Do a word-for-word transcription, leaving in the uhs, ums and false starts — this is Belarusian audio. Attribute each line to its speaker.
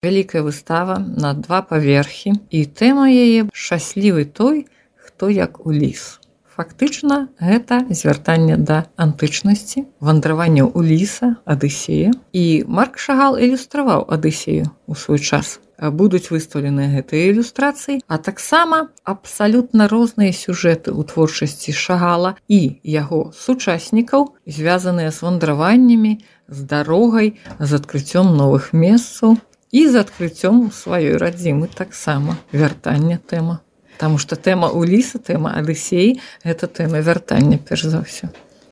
Speaker 1: Вялікая выстава на два паверхі, і тэма яе шчаслівы той, хто як Уліс. Фактычна, гэта звяртанне да антычнасці, вандраванне Уліса, Адысея. І Марк Шагал ілюстраваў Адысею ў свой час. Будуць выстаўлены гэтыя ілюстрацыі, а таксама абсалютна розныя сюжэты ў творчасці Шагала і яго сучаснікаў, звязаныя з вандраваннямі, з дарогай, з адкрыццём новых месцаў і з адкрыццём сваёй радзімы таксама. Вяртання тэма. Таму што тэма Уліса, тэма Адысеі – гэта тэма вяртання, перш за ўсё.